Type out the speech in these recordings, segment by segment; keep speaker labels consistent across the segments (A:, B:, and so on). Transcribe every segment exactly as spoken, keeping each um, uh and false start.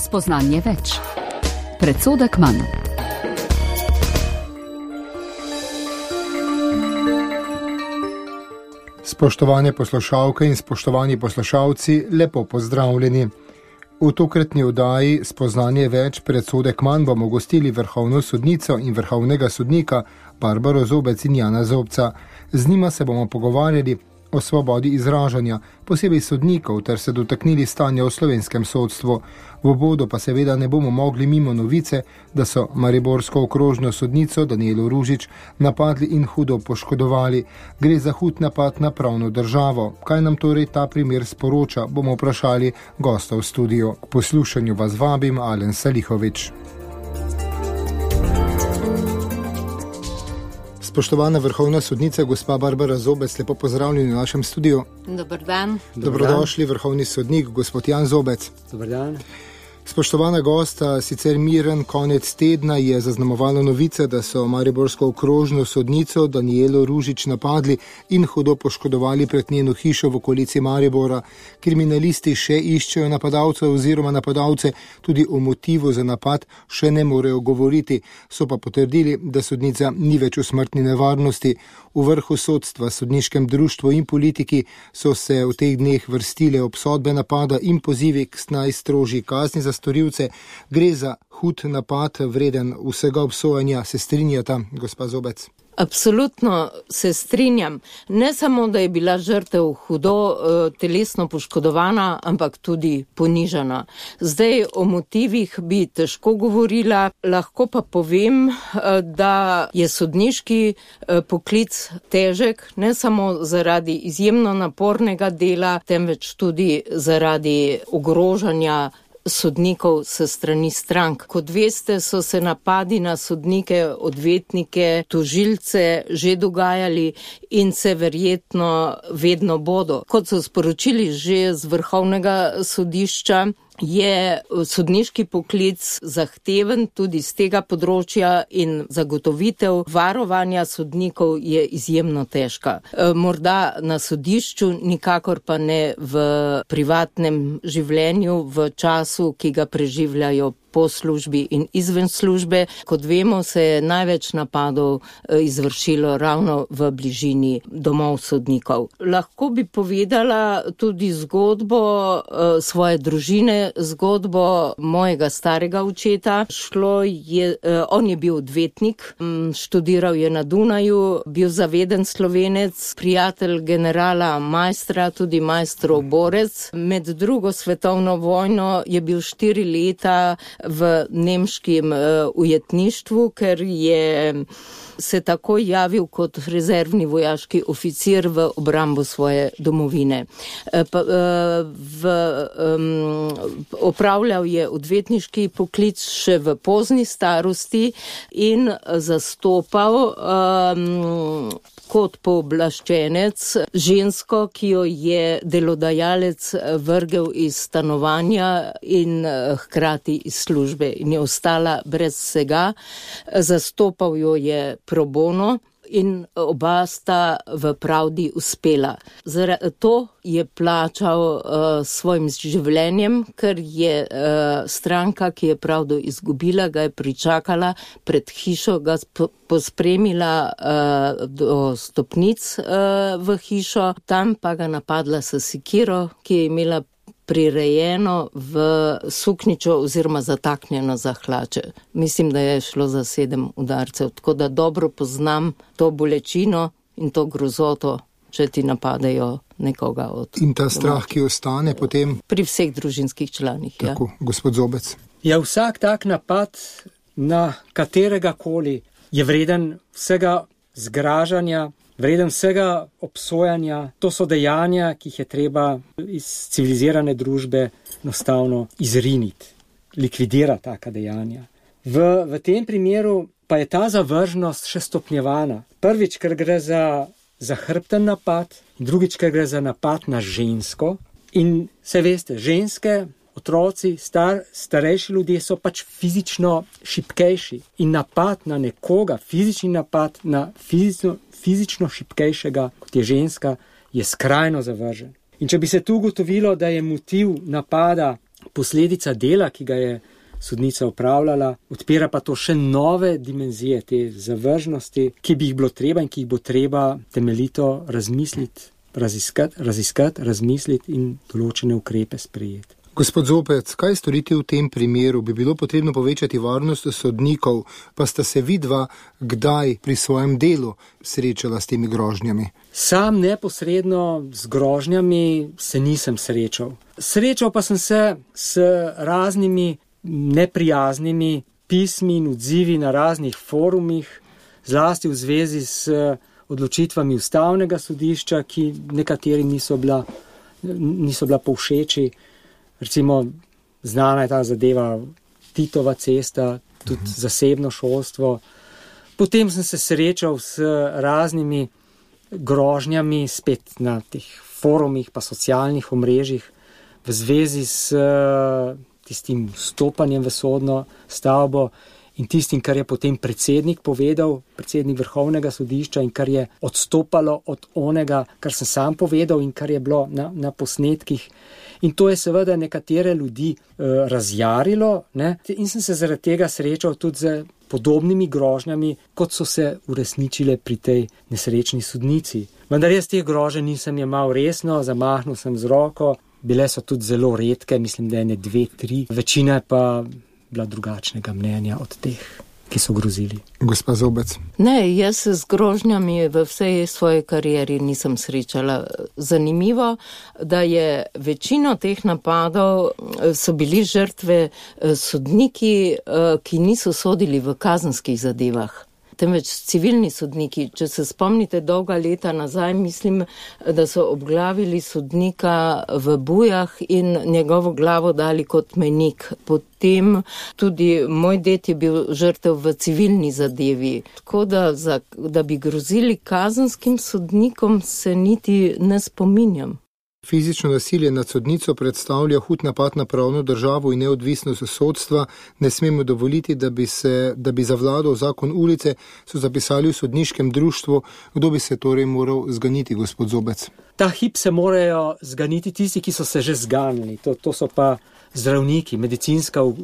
A: Spoznanje več. Predsodek manj.
B: Spoštovane poslušalke in spoštovani poslušalci, lepo pozdravljeni. V tokratni oddaji Spoznanje več, predsodek manj bomo gostili vrhovno sodnico in vrhovnega sodnika Barbaro Zobec in Jana Zobca. Z njima se bomo pogovarjali o svobodi izražanja, posebej sodnikov, ter se dotaknili stanja v slovenskem sodstvu. V uvodu pa seveda ne bomo mogli mimo novice, da so mariborsko okrožno sodnico Danijelo Ružič napadli in hudo poškodovali. Gre za hud napad na pravno državo. Kaj nam torej ta primer sporoča, bomo vprašali gosta v studiu. K poslušanju vas vabim, Alen Salihovič. Spoštovana vrhovna sodnica, gospa Barbara Zobec, lepo pozdravljeni v našem studiu.
C: Dobar dan.
B: Dobrodošli, vrhovni sodnik, gospod Jan Zobec.
D: Dobar dan.
B: Spoštovana gosta, sicer miren konec tedna je zaznamovalo novice, da so mariborsko okrožno sodnico Danijelo Ružič napadli in hudo poškodovali pred njeno hišo v okolici Maribora. Kriminalisti še iščejo napadalce oziroma napadalce, tudi o motivu za napad še ne morejo govoriti. So pa potrdili, da sodnica ni več v smrtni nevarnosti. V vrhu sodstva, sodniškem društvu in politiki so se v teh dneh vrstile obsodbe napada in pozivi k najstrožji kazni za storilce. Gre za hud napad, vreden vsega obsojanja. Se strinjata, gospa Zobec?
C: Absolutno se strinjam. Ne samo, da je bila žrtev hudo uh, telesno poškodovana, ampak tudi ponižana. Zdaj o motivih bi težko govorila, lahko pa povem, uh, da je sodniški uh, poklic težek, ne samo zaradi izjemno napornega dela, temveč tudi zaradi ogrožanja sodnikov se strani strank. Kot veste, so se napadi na sodnike, odvetnike, tožilce že dogajali in se verjetno vedno bodo. Kot so sporočili že z vrhovnega sodišča, je sodniški poklic zahteven tudi z tega področja in zagotovitev varovanja sodnikov je izjemno težka. Morda na sodišču, nikakor pa ne v privatnem življenju, v času, ki ga preživljajo po službi in izven službe. Kot vemo, se je največ napadov izvršilo ravno v bližini domov sodnikov. Lahko bi povedala tudi zgodbo svoje družine, zgodbo mojega starega očeta. Šlo je, on je bil odvetnik, študiral je na Dunaju, bil zaveden Slovenec, prijatelj generala Maistra, tudi Maistrov borec. Med drugo svetovno vojno je bil štiri leta v nemškem uh, ujetništvu, ker je se takoj javil kot rezervni vojaški oficir v obrambo svoje domovine. Uh, pa, uh, v, um, opravljal je odvetniški poklic še v pozni starosti in zastopal um, kot pooblaščenec žensko, ki jo je delodajalec vrgel iz stanovanja in hkrati iz službe in je ostala brez vsega. Zastopal jo je pro bono in oba sta v pravdi uspela. Zaradi to je plačal uh, svojim življenjem, ker je uh, stranka, ki je pravdo izgubila, ga je pričakala pred hišo, ga pospremila uh, do stopnic uh, v hišo, tam pa ga napadla s sekiro, ki je imela prirejeno v suknjičo oziroma zataknjeno za hlače. Mislim, da je šlo za sedem udarcev, tako da dobro poznam to bolečino in to grozoto, če ti napadejo nekoga od...
B: In ta strah, ki ostane potem...
C: Pri vseh družinskih članih, ja.
B: Tako, gospod Zobec.
D: Ja, vsak tak napad na katerega koli je vreden vsega zgražanja, vreden vsega obsojanja. To so dejanja, ki jih je treba iz civilizirane družbe enostavno izriniti, likvidirati taka dejanja. V, v tem primeru pa je ta zavržnost še stopnjevana. Prvič, ker gre za zahrbten napad, drugič, ker gre za napad na žensko. In se veste, ženske, otroci, star, starejši ljudje so pač fizično šibkejši. In napad na nekoga, fizični napad na fizično fizično šibkejšega, kot je ženska, je skrajno zavržen. In če bi se tu ugotovilo, da je motiv napada posledica dela, ki ga je sodnica opravljala, odpira pa to še nove dimenzije te zavržnosti, ki bi jih bilo treba in ki jih bo treba temeljito razmisliti, raziskati, raziskati, razmisliti in določene ukrepe sprejeti.
B: Gospod Zopec, kaj storiti v tem primeru? Bi bilo potrebno povečati varnost sodnikov, pa sta se vidva kdaj pri svojem delu srečala s temi grožnjami?
D: Sam neposredno z grožnjami se nisem srečal. Srečal pa sem se s raznimi neprijaznimi pismi in odzivi na raznih forumih, zlasti v zvezi s odločitvami ustavnega sodišča, ki nekateri niso bila, niso bila povšeči. Recimo, znana je ta zadeva Titova cesta, tudi uh-huh. zasebno šolstvo. Potem sem se srečal s raznimi grožnjami spet na teh forumih pa socialnih omrežjih v zvezi s tistim stopanjem v sodno stavbo in tistim, kar je potem predsednik povedal, predsednik Vrhovnega sodišča in kar je odstopalo od onega, kar sem sam povedal in kar je bilo na, na posnetkih. In to je seveda nekatere ljudi eh, razjarilo, ne? In sem se zaradi tega srečal tudi z podobnimi grožnjami, kot so se uresničile pri tej nesrečni sodnici. Vendar jaz teh groženj nisem jemal resno, zamahnil sem z roko. Bile so tudi zelo redke, mislim, da ene dve, tri. Večina je pa bila drugačnega mnenja od teh, ki so grozili.
B: Gospa Zobec.
C: Ne, jaz se z grožnjami v vsej svoji karieri nisem srečala. Zanimivo, da je večino teh napadov so bili žrtve sodniki, ki niso sodili v kazenskih zadevah, temveč civilni sodniki. Če se spomnite dolga leta nazaj, mislim, da so obglavili sodnika v Bujah in njegovo glavo dali kot menik. Potem tudi moj ded je bil žrtev v civilni zadevi. Tako da, za, da bi grozili kazenskim sodnikom, se niti ne spominjam.
B: Fizično nasilje nad sodnico predstavlja hud napad na pravno državo in neodvisnost sodstva. Ne smemo dovoliti, da bi, se, da bi zavladal zakon ulice, so zapisali v sodniškem društvu. Kdo bi se torej moral zganiti, gospod Zobec?
D: Ta hip se morajo zganiti tisti, ki so se že zganili. To, to so pa zdravniki, medicinska uh,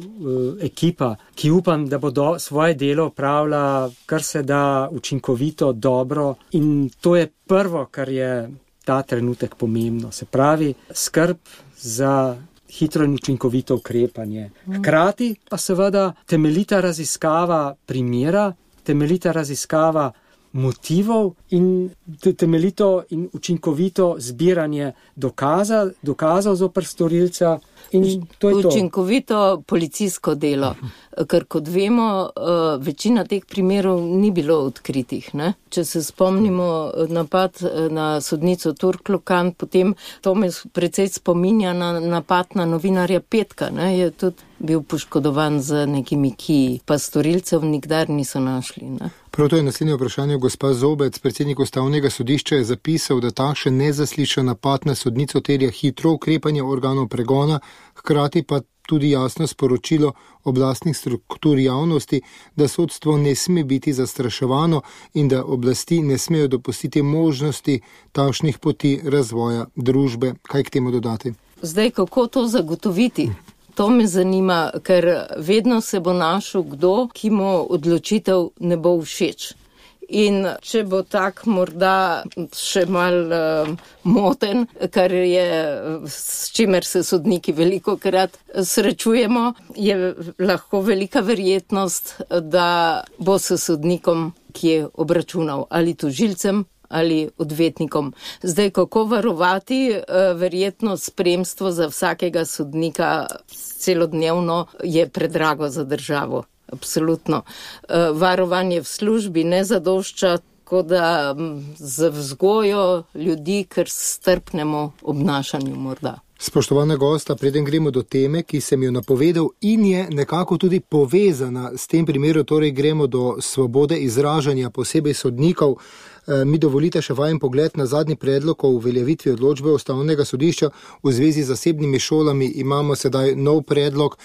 D: ekipa, ki upam, da bodo svoje delo opravila kar se da učinkovito, dobro. In to je prvo, kar je ta trenutek pomembno. Se pravi, skrb za hitro in učinkovito ukrepanje. Hkrati pa seveda temeljita raziskava primera, temeljita raziskava motivov in temeljito in učinkovito zbiranje dokaza, dokazov zoper storilca. In to je to.
C: Učinkovito policijsko delo, ker kot vemo, večina teh primerov ni bilo odkritih. Ne? Če se spomnimo napad na sodnico Turklokan, potem to me precej spominja na napad na novinarja Petka, ne? Je tudi bil poškodovan z nekimi kiji, pa storilcev nikdar niso našli. Ne?
B: Prav to je naslednje vprašanje. Gospa Zobec, predsednik ustavnega sodišča, je zapisal, da takšen nezaslišan napad na sodnico terja hitro ukrepanje organov pregona, hkrati pa tudi jasno sporočilo oblastnih struktur javnosti, da sodstvo ne sme biti zastraševano in da oblasti ne smejo dopustiti možnosti takšnih poti razvoja družbe. Kaj k temu dodati?
C: Zdaj, kako to zagotoviti? To me zanima, ker vedno se bo našel kdo, ki mu odločitev ne bo všeč. In če bo tak morda še mal uh, moten, kar je, s čimer se sodniki veliko krat srečujemo, je lahko velika verjetnost, da bo se sodnikom kje obračunal ali tožilcem ali odvetnikom. Zdaj, kako varovati uh, verjetno spremstvo za vsakega sodnika celodnevno je predrago za državo. Absolutno. Varovanje v službi ne zadošča, tako da z vzgojo ljudi, ker strpnemo obnašanju morda.
B: Spoštovana gosta, preden gremo do teme, ki sem jo napovedal in je nekako tudi povezana s tem primerom, torej gremo do svobode izražanja, posebej sodnikov. mi dovolite še vajen pogled na zadnji predlog o uveljavitvi odločbe Ustavnega sodišča v zvezi z zasebnimi šolami. Imamo sedaj nov predlog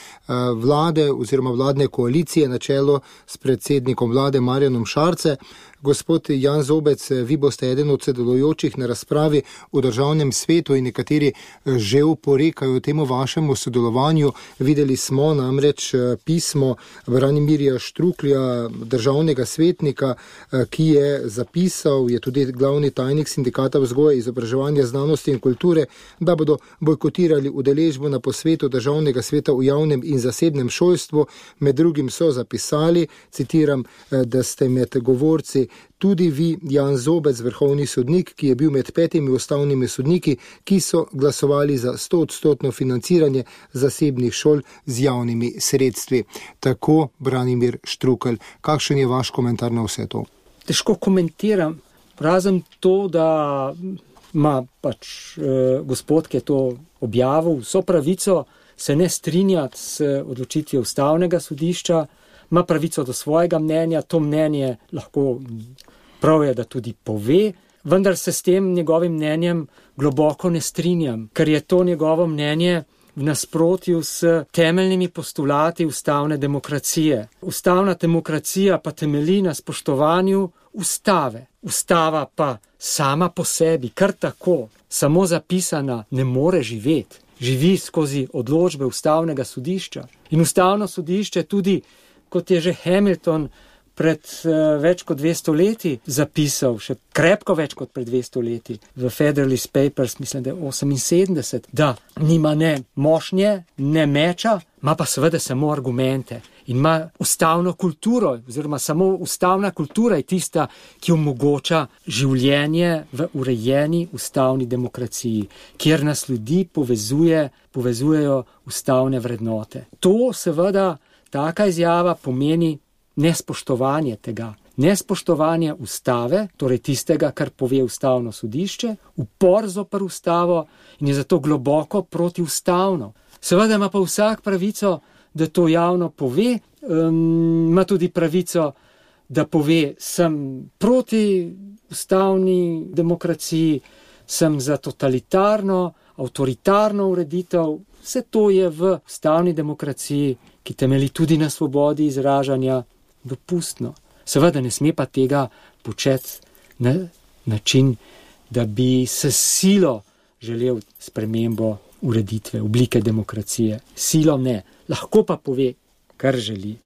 B: vlade oziroma vladne koalicije na čelo s predsednikom vlade Marjanom Šarce. Gospod Jan Zobec, vi boste eden od sodelujočih na razpravi v Državnem svetu in nekateri že oporekajo temu vašemu sodelovanju. Videli smo namreč pismo Branimirja Štruklja, državnega svetnika, ki je zapisal, je tudi glavni tajnik Sindikata vzgoje, izobraževanja, znanosti in kulture, da bodo bojkotirali udeležbo na posvetu Državnega sveta v javnem in zasebnem šolstvu. Med drugim so zapisali, citiram, da ste med govorci tudi vi, Jan Zobec, vrhovni sodnik, ki je bil med petimi ustavnimi sodniki, ki so glasovali za stoodstotno financiranje zasebnih šol z javnimi sredstvi. Tako Branimir Štrukelj. Kakšen je vaš komentar na vse to?
D: Težko komentiram, razen to, da ima pač eh, gospod, ki je to objavil, vso pravico se ne strinjati s odločitvijo Ustavnega sodišča, ima pravico do svojega mnenja, to mnenje lahko prav je, da tudi pove, vendar se s tem njegovim mnenjem globoko ne strinjam, ker je to njegovo mnenje v nasprotju s temeljnimi postulati ustavne demokracije. Ustavna demokracija pa temelji na spoštovanju ustave. Ustava pa sama po sebi, kar tako, samo zapisana, ne more živeti. Živi skozi odločbe Ustavnega sodišča. In Ustavno sodišče tudi, kot je že Hamilton pred uh, več kot dvesto leti zapisal, še krepko več kot pred dvesto leti, v Federalist Papers, mislim, da je oseminsedemdeset, da nima ne mošnje, ne meča, ima pa seveda samo argumente. In ima ustavno kulturo, oziroma samo ustavna kultura je tista, ki omogoča življenje v urejeni ustavni demokraciji, kjer nas ljudi povezuje, povezujejo ustavne vrednote. To seveda, taka izjava pomeni nespoštovanje tega. Nespoštovanje ustave, torej tistega, kar pove Ustavno sodišče, upor zoper ustavo in je zato globoko protiustavno. Seveda ima pa vsak pravico, da to javno pove, um, ima tudi pravico, da pove, sem proti ustavni demokraciji, sem za totalitarno, avtoritarno ureditev. Vse to je v ustavni demokraciji, ki temelji tudi na svobodi izražanja, dopustno. Seveda ne sme pa tega početi na način, da bi s silo želel spremembo ureditve, oblike demokracije. Silo ne, lahko pa pove, kar želi.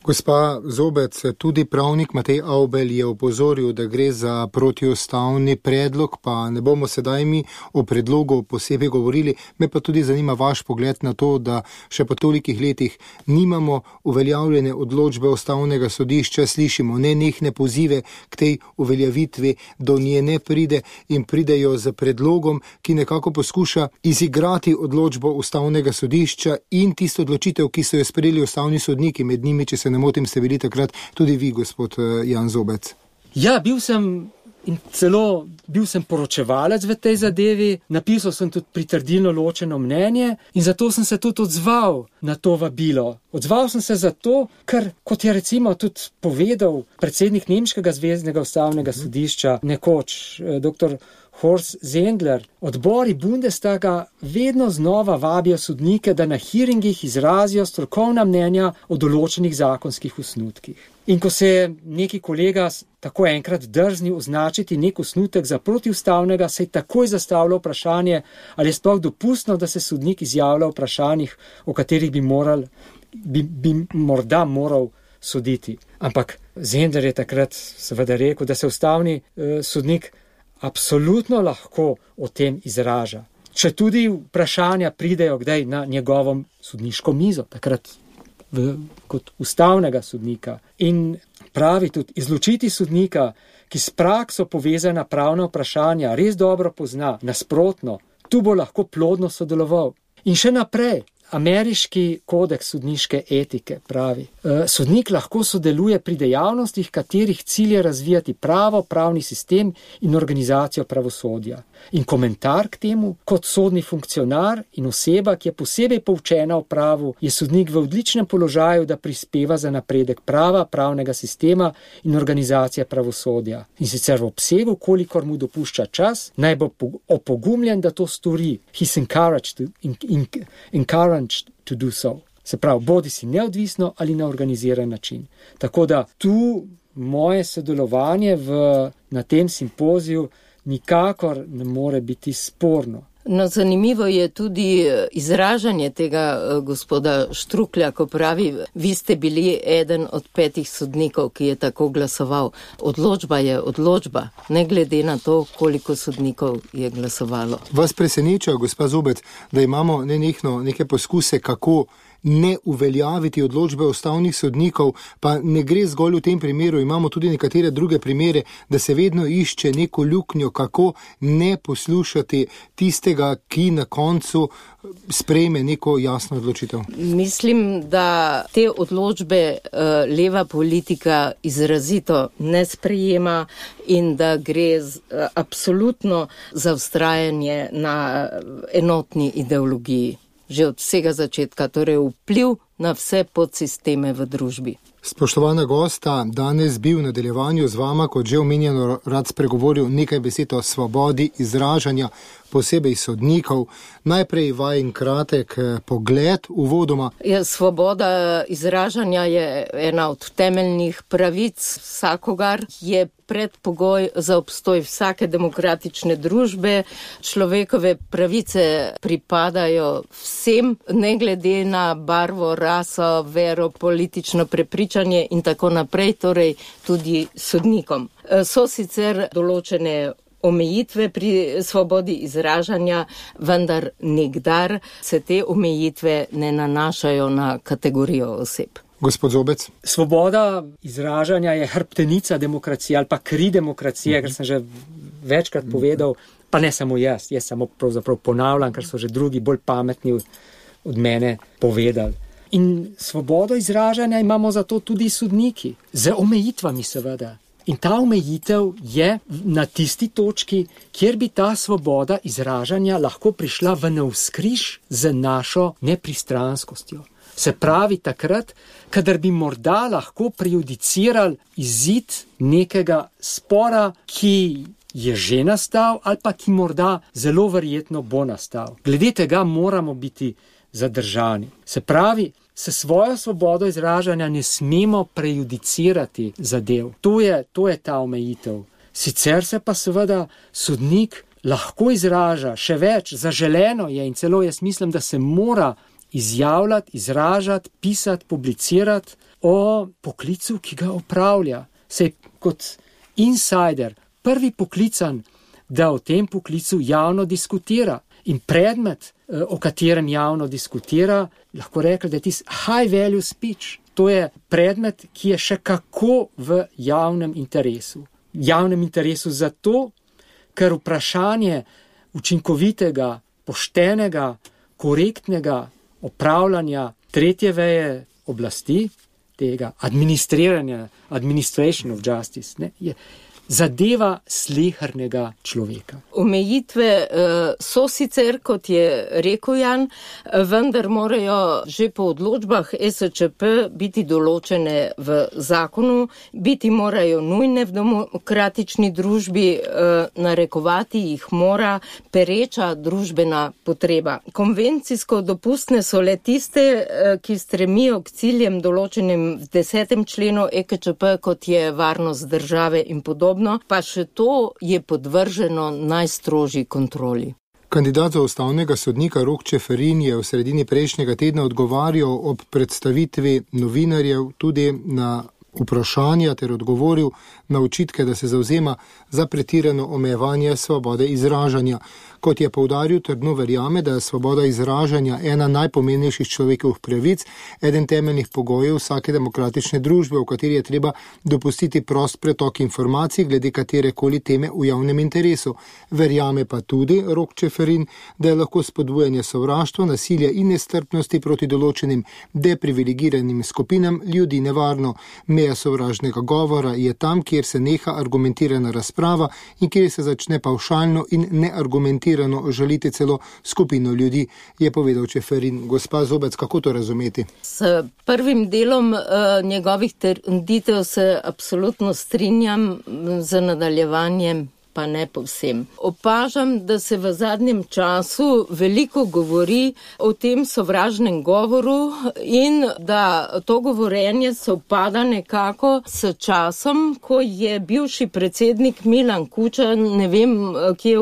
B: Gospa Zobec, tudi pravnik Matej Avbelj je opozoril, da gre za protiustavni predlog, pa ne bomo sedaj mi o predlogu posebej govorili, me pa tudi zanima vaš pogled na to, da še po tolikih letih nimamo uveljavljene odločbe Ustavnega sodišča, slišimo nenehne pozive k tej uveljavitvi, do nje ne pride in pridejo z predlogom, ki nekako poskuša izigrati odločbo Ustavnega sodišča in tisto odločitev, ki so jo sprejeli ustavni sodniki, med njimi, če se ne motim, ste bili takrat tudi vi, gospod Jan Zobec.
D: Ja, bil sem in celo bil sem poročevalec v tej zadevi, napisal sem tudi pritrdilno ločeno mnenje in zato sem se tudi odzval na to vabilo. Odzval sem se zato, ker, kot je recimo tudi povedal predsednik Nemškega zveznega ustavnega sodišča, nekoč doktor Horst Zendler, odbori Bundestaga vedno znova vabijo sodnike, da na hearingih izrazijo strokovna mnenja o določenih zakonskih osnutkih. In ko se je neki kolega tako enkrat drznil označiti nek osnutek za protiustavnega, se je takoj zastavilo vprašanje, ali je sploh dopustno, da se sodnik izjavlja o vprašanjih, o katerih bi, moral, bi, bi morda moral soditi. Ampak Zendler je takrat seveda rekel, da se ustavni eh, sodnik absolutno lahko o tem izraža. Če tudi vprašanja pridejo kdaj na njegovo sodniško mizo, takrat v, kot ustavnega sodnika. In pravi tudi, izločiti sodnika, ki s prakso povezana pravna vprašanja res dobro pozna, nasprotno, tu bo lahko plodno sodeloval. In še naprej, ameriški kodeks sodniške etike pravi, sodnik lahko sodeluje pri dejavnostih, katerih cilj je razvijati pravo, pravni sistem in organizacijo pravosodja. In komentar k temu, kot sodni funkcionar in oseba, ki je posebej poučena o pravu, je sodnik v odličnem položaju, da prispeva za napredek prava, pravnega sistema in organizacije pravosodja. In sicer v obsegu, kolikor mu dopušča čas, naj bo opogumljen, da to stori. He's encouraged to, in, in, encouraged to do so. Se pravi, bodi si neodvisno ali na organiziran način. Tako da tu moje sodelovanje v, na tem simpoziju nikakor ne more biti sporno.
C: No, zanimivo je tudi izražanje tega gospoda Štruklja, ko pravi, vi ste bili eden od petih sodnikov, ki je tako glasoval. Odločba je odločba, ne glede na to, koliko sodnikov je glasovalo.
B: Vas preseneča, gospa Zobec, da imamo nenehno neke poskuse, kako ne uveljaviti odločbe ustavnih sodnikov, pa ne gre zgolj v tem primeru, imamo tudi nekatere druge primere, da se vedno išče neko luknjo, kako ne poslušati tistega, ki na koncu sprejme neko jasno odločitev.
C: Mislim, da te odločbe uh, leva politika izrazito ne sprejema in da gre z, uh, absolutno za vztrajanje na enotni ideologiji. Že od vsega začetka, torej vpliv na vse podsisteme v družbi.
B: Spoštovana gosta, danes bi v nadaljevanju z vama, kot že omenjeno, rad spregovoril nekaj besed o svobodi izražanja, posebej sodnikov. Najprej vajin kratek pogled uvodoma.
C: Ja, svoboda izražanja je ena od temeljnih pravic vsakogar, je predpogoj za obstoj vsake demokratične družbe. Človekove pravice pripadajo vsem, ne glede na barvo, raso, vero, politično prepričanje in tako naprej, torej tudi sodnikom. So sicer določene omejitve pri svobodi izražanja, vendar nikdar se te omejitve ne nanašajo na kategorijo oseb.
B: Gospod Zobec.
D: Svoboda izražanja je hrbtenica demokracije ali pa kri demokracije, ker sem že večkrat povedal, pa ne samo jaz, jaz samo pravzaprav ponavljam, ker so že drugi bolj pametni od mene povedali. In svobodo izražanja imamo zato tudi sodniki, z omejitvami seveda. In ta omejitev je na tisti točki, kjer bi ta svoboda izražanja lahko prišla v navzkriž z našo nepristranskostjo. Se pravi takrat, kadar bi morda lahko prejudicirali izid nekega spora, ki je že nastal ali pa ki morda zelo verjetno bo nastal. Glede tega moramo biti zadržani. Se pravi, se svojo svobodo izražanja ne smemo prejudicirati zadev. To je, to je ta omejitev. Sicer se pa seveda sodnik lahko izraža še več, zaželeno je in celo jaz mislim, da se mora izjavljati, izražati, pisati, publicirati o poklicu, ki ga opravlja. Sej kot insider, prvi poklican, da o tem poklicu javno diskutira. In predmet, o katerem javno diskutira, lahko rekli, da je tisti high value speech. To je predmet, ki je še kako v javnem interesu. Javnem interesu zato, ker vprašanje učinkovitega, poštenega, korektnega opravljanja tretje veje oblasti, tega administriranja, administration of justice, ne, je zadeva slehernega človeka.
C: Omejitve uh, so sicer, kot je rekel Jan, vendar morajo že po odločbah es če pe biti določene v zakonu, biti morajo nujne v demokratični družbi, uh, narekovati jih mora pereča družbena potreba. Konvencijsko dopustne so le tiste, uh, ki stremijo k ciljem določenim v desetem členu e ke če pe, kot je varnost države in podobno. Pa še to je podvrženo najstrožji kontroli.
B: Kandidat za ustavnega sodnika Rok Čeferin je v sredini prejšnjega tedna odgovarjal ob predstavitvi novinarjev tudi na vprašanja ter odgovoril na očitke, da se zavzema za pretirano omejevanje svobode izražanja. Kot je poudaril, trdno verjame, da je svoboda izražanja ena najpomembnejših človekovih pravic, eden temeljnih pogojev vsake demokratične družbe, v kateri je treba dopustiti prost pretok informacij glede katerekoli teme v javnem interesu. Verjame pa tudi, Rok Čeferin, da je lahko spodbujanje sovraštva, nasilja in nestrpnosti proti določenim deprivilegiranim skupinam ljudi nevarno. Meja sovražnega govora je tam, kjer se neha argumentirana razprava in kjer se začne pavšalno in neargumentirano žaliti celo skupino ljudi, je povedal Čeferin. Gospa Zobec, kako to razumeti?
C: S prvim delom uh, njegovih trditev se absolutno strinjam, z nadaljevanjem pa ne povsem. Opažam, da se v zadnjem času veliko govori o tem sovražnem govoru in da to govorenje sovpada nekako s časom, ko je bivši predsednik Milan Kučan, ne vem, kje je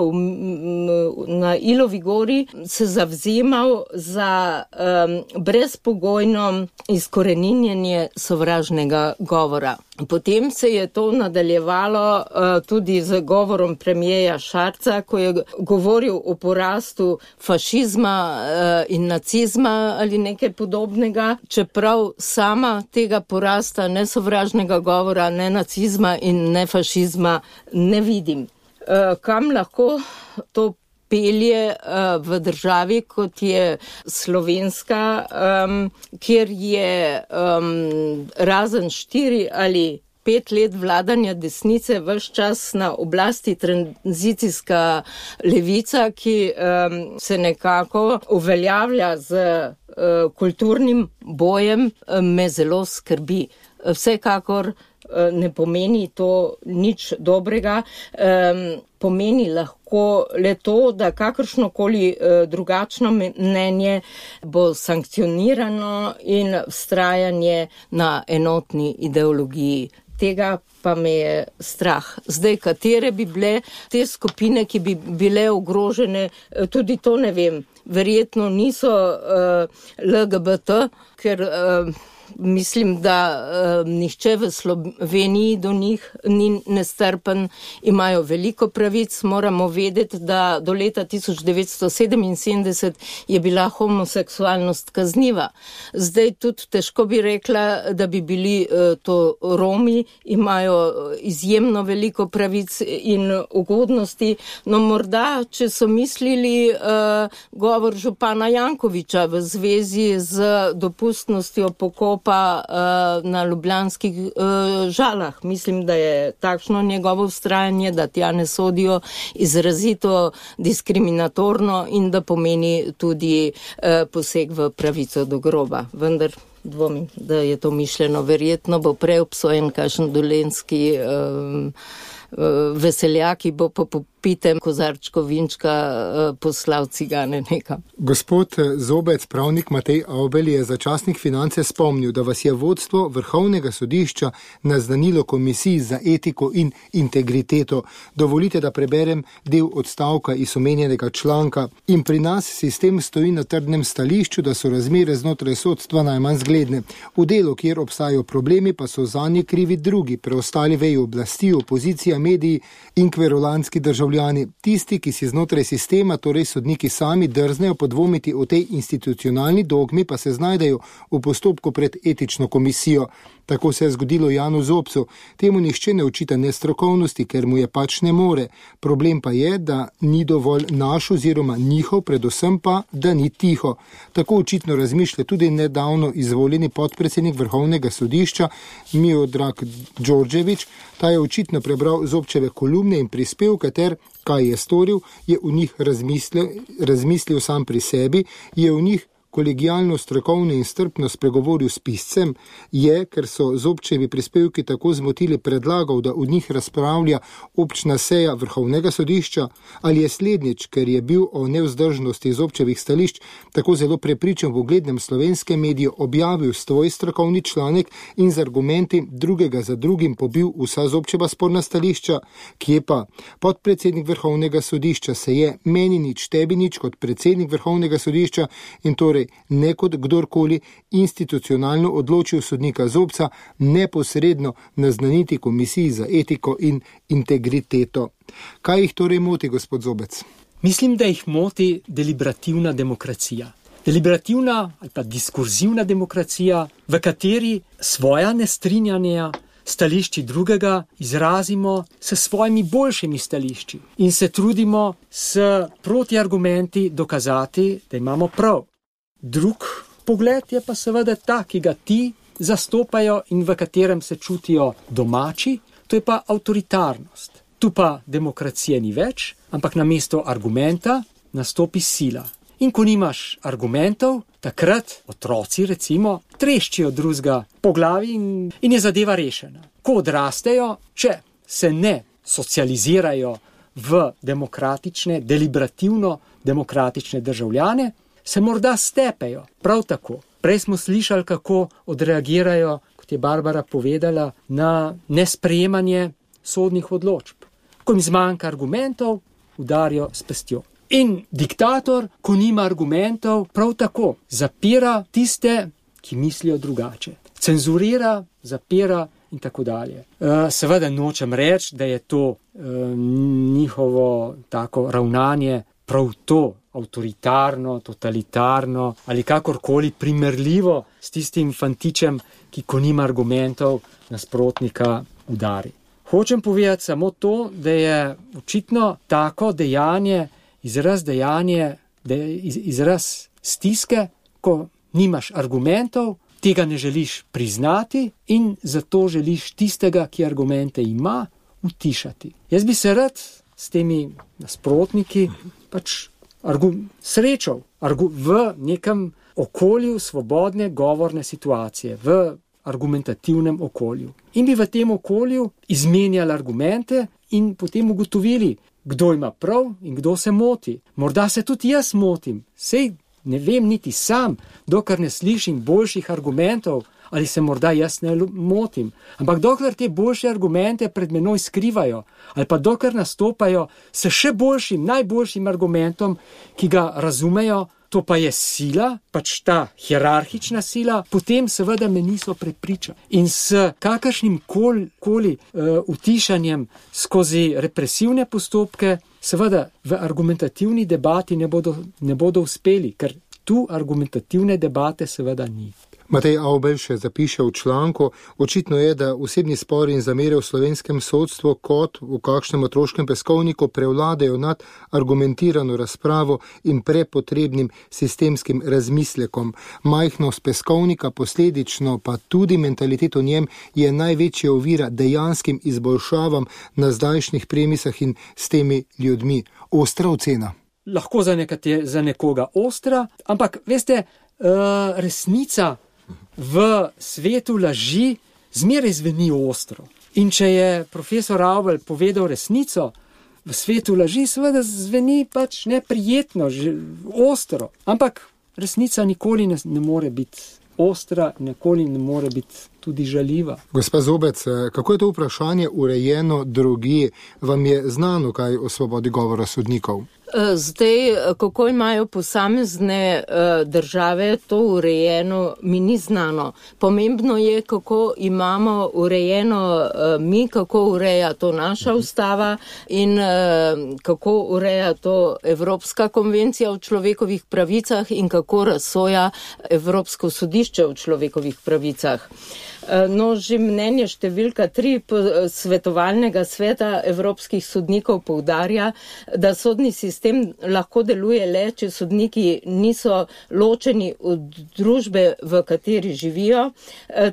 C: na Ilovi gori, se zavzemal za um, brezpogojno izkoreninjenje sovražnega govora. Potem se je to nadaljevalo uh, tudi z govorom premijeja Šarca, ko je govoril o porastu fašizma uh, in nacizma ali nekaj podobnega, čeprav sama tega porasta ne sovražnega govora, ne nacizma in ne fašizma ne vidim. Uh, kam lahko to pelje uh, v državi, kot je Slovenska, um, kjer je um, razen štiri ali pet let vladanja desnice vse čas na oblasti tranzicijska levica, ki um, se nekako uveljavlja z uh, kulturnim bojem, um, me zelo skrbi. Vsekakor ne pomeni to nič dobrega, um, pomeni lahko le to, da kakršnokoli uh, drugačno mnenje bo sankcionirano in vztrajanje na enotni ideologiji. Tega pa me je strah. Zdaj, katere bi bile te skupine, ki bi bile ogrožene, tudi to ne vem. Verjetno niso uh, L G B T, ker uh, mislim, da uh, nihče v Sloveniji do njih ni nestrpen, imajo veliko pravic. Moramo vedeti, da do leta tisoč devetsto sedeminsedemdeset je bila homoseksualnost kazniva. Zdaj tudi težko bi rekla, da bi bili uh, to Romi, imajo izjemno veliko pravic in ugodnosti. No morda, če so mislili uh, govor župana Jankoviča v zvezi z dopustnostjo pokopa pa uh, na ljubljanskih uh, Žalah. Mislim, da je takšno njegovo vztrajanje, da tja ne sodijo, izrazito diskriminatorno in da pomeni tudi uh, poseg v pravico do groba. Vendar dvomim, da je to mišljeno. Verjetno bo prej obsojen kakšen dolenjski um, veseljak, ki bo po popitem kozarčko vinčka poslal cigane nekam.
B: Gospod Zobec, pravnik Matej Avbelj, je za časnik Finance spomnil, da vas je vodstvo Vrhovnega sodišča naznanilo Komisiji za etiko in integriteto. Dovolite, da preberem del odstavka iz omenjenega članka. In pri nas sistem stoji na trdnem stališču, da so razmere znotraj sodstva najmanj zgledne. V delu, kjer obstajajo problemi, pa so zanje krivi drugi, preostali veji oblasti, opozicija, mediji in kverulanski državljani. Tisti, ki si znotraj sistema, torej sodniki sami, drznejo podvomiti o tej institucionalni dogmi, pa se znajdejo v postopku pred etično komisijo. Tako se je zgodilo Janu Zobcu. Temu nihče ne očita nestrokovnosti, ker mu je pač ne more. Problem pa je, da ni dovolj naš oziroma njihov, predvsem pa, da ni tiho. Tako očitno razmišlja tudi nedavno izvoljeni podpredsednik Vrhovnega sodišča Miodrag Đorđević. Ta je očitno prebral Zobčeve kolumne in prispevke ter, kaj je storil, je v njih razmislil, razmislil sam pri sebi, je v njih kolegijalno, strokovno in strpno spregovoril s piscem, je, ker so Zobčevi prispevki tako zmotili, predlagal, da v njih razpravlja občna seja Vrhovnega sodišča, ali je slednjič, ker je bil o nevzdržnosti Zobčevih stališč tako zelo prepričan v uglednem slovenskem mediju, objavil svoj strokovni članek in z argumenti drugega za drugim pobil vsa Zobčeva sporna stališča, kje pa podpredsednik Vrhovnega sodišča se je meni nič, tebi nič kot predsednik Vrhovnega sodišča in torej ne kot kdorkoli institucionalno odločil sodnika Zobca neposredno naznaniti Komisiji za etiko in integriteto. Kaj jih torej moti, gospod Zobec?
D: Mislim, da jih moti deliberativna demokracija. Deliberativna ali pa diskurzivna demokracija, v kateri svoja nestrinjanja stališči drugega izrazimo s svojimi boljšimi stališči in se trudimo s protiargumenti dokazati, da imamo prav. Drug pogled je pa seveda ta, ki ga ti zastopajo in v katerem se čutijo domači, to je pa avtoritarnost. Tu pa demokracije ni več, ampak namesto argumenta nastopi sila. In ko nimaš argumentov, takrat otroci recimo treščijo drugega po glavi in, in je zadeva rešena. Ko odrastejo, če se ne socializirajo v demokratične, deliberativno demokratične državljane, se morda stepejo. Prav tako. Prej smo slišali, kako odreagirajo, kot je Barbara povedala, na nesprejemanje sodnih odločb. Ko jim zmanjka argumentov, udarijo s pestjo. In diktator, ko nima argumentov, prav tako zapira tiste, ki mislijo drugače. Cenzurira, zapira in tako dalje. Seveda nočem reči, da je to njihovo tako ravnanje prav to avtoritarno, totalitarno ali kakorkoli primerljivo s tistim fantičem, ki ko nima argumentov, nasprotnika udari. Hočem povedati samo to, da je očitno tako dejanje, izraz dejanje, izraz stiske, ko nimaš argumentov, tega ne želiš priznati in zato želiš tistega, ki argumente ima, utišati. Jaz bi se rad s temi nasprotniki pač argu, srečal argu, v nekem okolju svobodne govorne situacije, v argumentativnem okolju. In bi v tem okolju izmenjali argumente in potem ugotovili, kdo ima prav in kdo se moti. Morda se tudi jaz motim, sej ne vem niti sam, dokler ne slišim boljših argumentov, ali se morda jaz ne motim. Ampak dokler te boljše argumente pred menoj skrivajo, ali pa dokler nastopajo s še boljšim, najboljšim argumentom, ki ga razumejo, to pa je sila, pač ta hierarhična sila, potem seveda me niso prepričali. In s kakršnim koli, koli uh, utišanjem skozi represivne postopke, seveda v argumentativni debati ne bodo, ne bodo uspeli, ker tu argumentativne debate seveda ni.
B: Matej Avbelj še zapiše v članku, očitno je, da osebni spori in zamere v slovenskem sodstvu kot v kakšnem otroškem peskovniku prevladajo nad argumentirano razpravo in prepotrebnim sistemskim razmislekom. Majhnost peskovnika, posledično pa tudi mentalitet v njem, je največja ovira dejanskim izboljšavam na zdajšnjih premisah in s temi ljudmi. Ostra ocena.
D: Lahko za, nekate, za nekoga ostra, ampak veste, uh, resnica v svetu laži zmeraj zveni ostro. In če je profesor Avbelj povedal resnico, v svetu laži seveda zveni pač neprijetno, ostro. Ampak resnica nikoli ne, ne more biti ostra, nikoli ne more biti tudi žaljiva.
B: Gospa Zobec, kako je to vprašanje urejeno drugje? Vam je znano kaj o svobodi govora sodnikov?
C: Zdaj, kako imajo posamezne države to urejeno, mi ni znano. Pomembno je, kako imamo urejeno mi, kako ureja to naša ustava in kako ureja to Evropska konvencija o človekovih pravicah in kako razsoja Evropsko sodišče o človekovih pravicah. No, že mnenje številka tri svetovalnega sveta evropskih sodnikov poudarja, da sodni sistem lahko deluje le, če sodniki niso ločeni od družbe, v kateri živijo,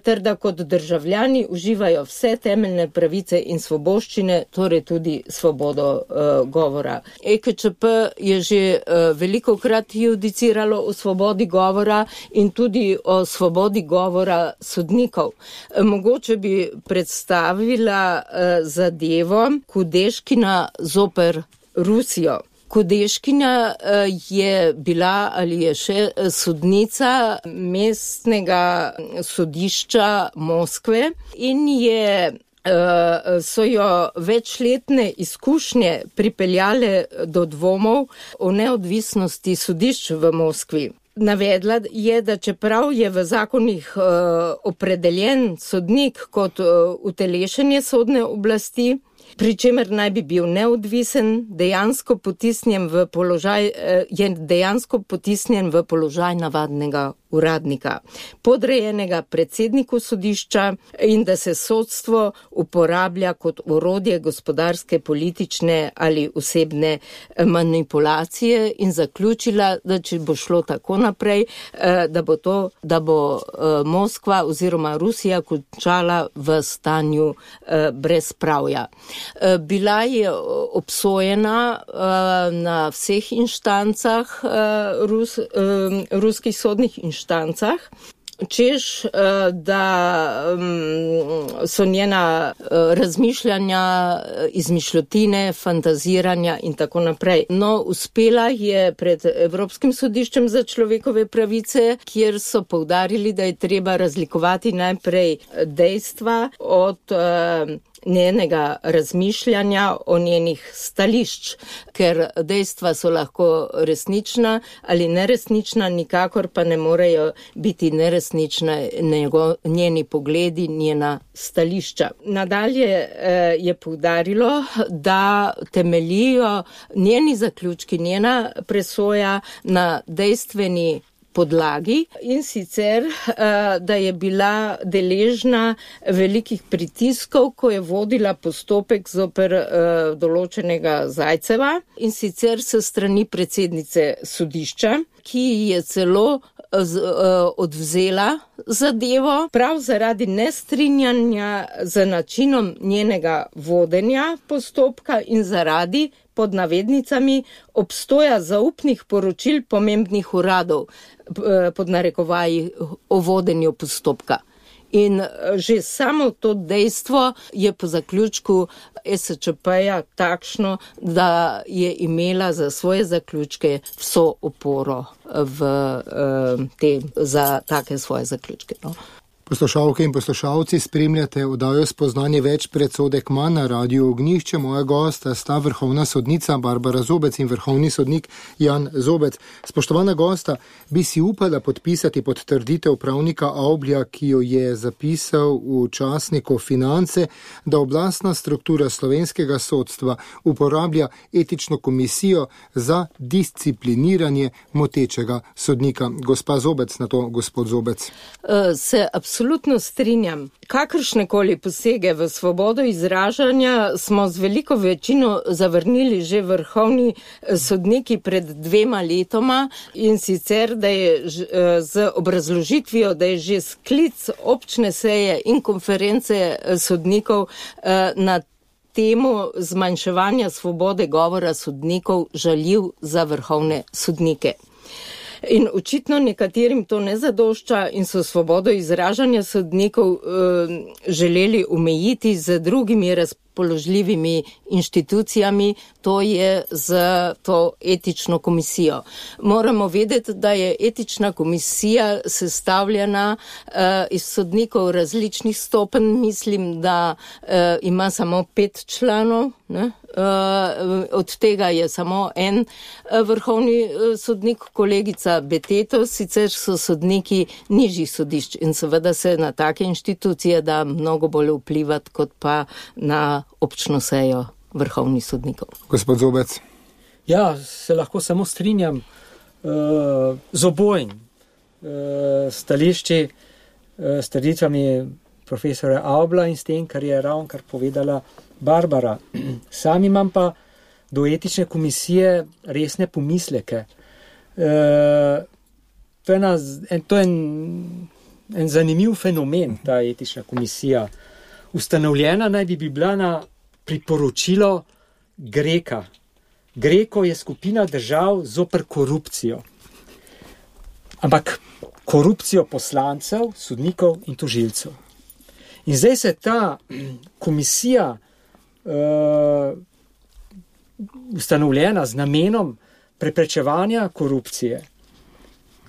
C: ter da kot državljani uživajo vse temeljne pravice in svoboščine, torej tudi svobodo uh, govora. E K Č P je že uh, velikokrat judiciralo o svobodi govora in tudi o svobodi govora sodnikov. Mogoče bi predstavila uh, zadevo Kudeškina zoper Rusijo. Kudeškina uh, je bila ali je še sodnica mestnega sodišča Moskve in je, uh, so jo večletne izkušnje pripeljale do dvomov o neodvisnosti sodišč v Moskvi. Navedla je, da čeprav je v zakonih uh, opredeljen sodnik kot uh, utelešenje sodne oblasti, pri čemer naj bi bil neodvisen, dejansko potisnjen v položaj, je dejansko potisnjen v položaj navadnega uradnika, podrejenega predsedniku sodišča in da se sodstvo uporablja kot orodje gospodarske, politične ali osebne manipulacije in zaključila, da če bo šlo tako naprej, da bo to, da bo Moskva oziroma Rusija končala v stanju brezpravja. Bila je obsojena na vseh inštancah, rus, ruskih sodnih inštancah, češ, da so njena razmišljanja, izmišljotine, fantaziranja in tako naprej. No, uspela je pred Evropskim sodiščem za človekove pravice, kjer so poudarili, da je treba razlikovati najprej dejstva od njenega razmišljanja, o njenih stališč, ker dejstva so lahko resnična ali neresnična, nikakor pa ne morejo biti neresnična njego, njeni pogledi, njena stališča. Nadalje je poudarilo, da temeljijo njeni zaključki, njena presoja na dejstveni podlagi in sicer, da je bila deležna velikih pritiskov, ko je vodila postopek zoper določenega Zajceva in sicer s strani predsednice sodišča, ki je celo odvzela zadevo prav zaradi nestrinjanja z načinom njenega vodenja postopka in zaradi, pod navednicami, obstoja zaupnih poročil pomembnih uradov, pod narekovaji o vodenju postopka. In že samo to dejstvo je po zaključku es če pe-ja takšno, da je imela za svoje zaključke vso oporo v, te, za take svoje zaključke. No.
B: Poslušalke in poslušalci, spremljate oddajo Spoznanje več predsodek manj na Radiu Ognjišče. Moja gosta sta vrhovna sodnica Barbara Zobec in vrhovni sodnik Jan Zobec. Spoštovana gosta, bi si upala podpisati pod trditev pravnika Avblja, ki jo je zapisal v časniku Finance, da oblastna struktura slovenskega sodstva uporablja etično komisijo za discipliniranje motečega sodnika. Gospa Zobec, na to gospod Zobec.
C: Uh, se Absolutno strinjam. Kakršnekoli posege v svobodo izražanja smo z veliko večino zavrnili že vrhovni sodniki pred dvema letoma in sicer, da je z obrazložitvijo, da je že sklic občne seje in konference sodnikov na temu zmanjševanja svobode govora sodnikov žaljiv za vrhovne sodnike. In očitno nekaterim to ne zadošča in so svobodo izražanja sodnikov eh, želeli omejiti z drugimi razpoložljivimi inštitucijami, to je z to etično komisijo. Moramo vedeti, da je etična komisija sestavljena eh, iz sodnikov različnih stopenj, mislim, da eh, ima samo pet članov, ne? Uh, od tega je samo en uh, vrhovni uh, sodnik, kolegica Beteto, sicer so sodniki nižjih sodišč in seveda se na take inštitucije da mnogo bolj vplivati kot pa na občno sejo vrhovnih sodnikov.
B: Gospod Zobec.
D: Ja, se lahko samo strinjam uh, z obojim uh, stališči, uh, stališčami profesora Avbla in s tem, kar je ravno kar povedala Barbara. Sam imam pa do etične komisije resne pomisleke. E, to je, ena, en, to je en, en zanimiv fenomen, ta etična komisija. Ustanovljena naj bi bila na priporočilo Greka. Greko je skupina držav zoper korupcijo. Ampak korupcijo poslancev, sodnikov in tožilcev. In zdaj se ta komisija Uh, ustanovljena z namenom preprečevanja korupcije,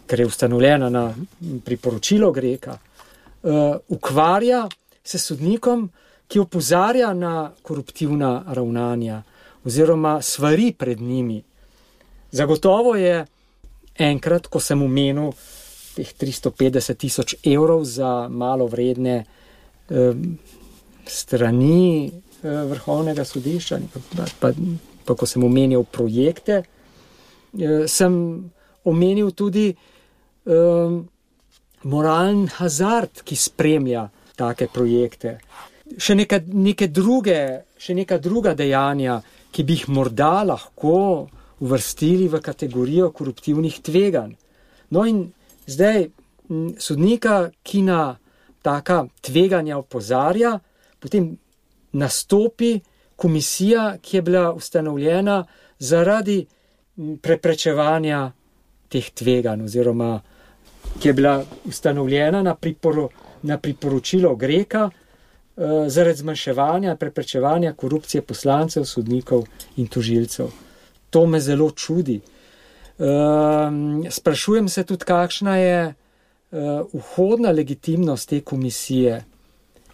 D: ker je ustanovljena na priporočilo Greka, uh, ukvarja se sodnikom, ki opozarja na koruptivna ravnanja oziroma svari pred njimi. Zagotovo je enkrat, ko sem omenil teh tristo petdeset tisoč evrov za malo vredne uh, strani Vrhovnega sodišča, pa, pa, pa ko sem omenil projekte, sem omenil tudi um, moralni hazard, ki spremlja take projekte. Še neka, neke druge, še neka druga dejanja, ki bi jih morda lahko uvrstili v kategorijo koruptivnih tveganj. No in zdaj sodnika, ki na taka tveganja opozarja, potem nastopi komisija, ki je bila ustanovljena zaradi preprečevanja teh tveganj, oziroma ki je bila ustanovljena na, priporo, na priporočilo Greka eh, zaradi zmanjševanja, preprečevanja korupcije poslancev, sodnikov in tožilcev. To me zelo čudi. Uh, sprašujem se tudi, kakšna je uh, vhodna legitimnost te komisije.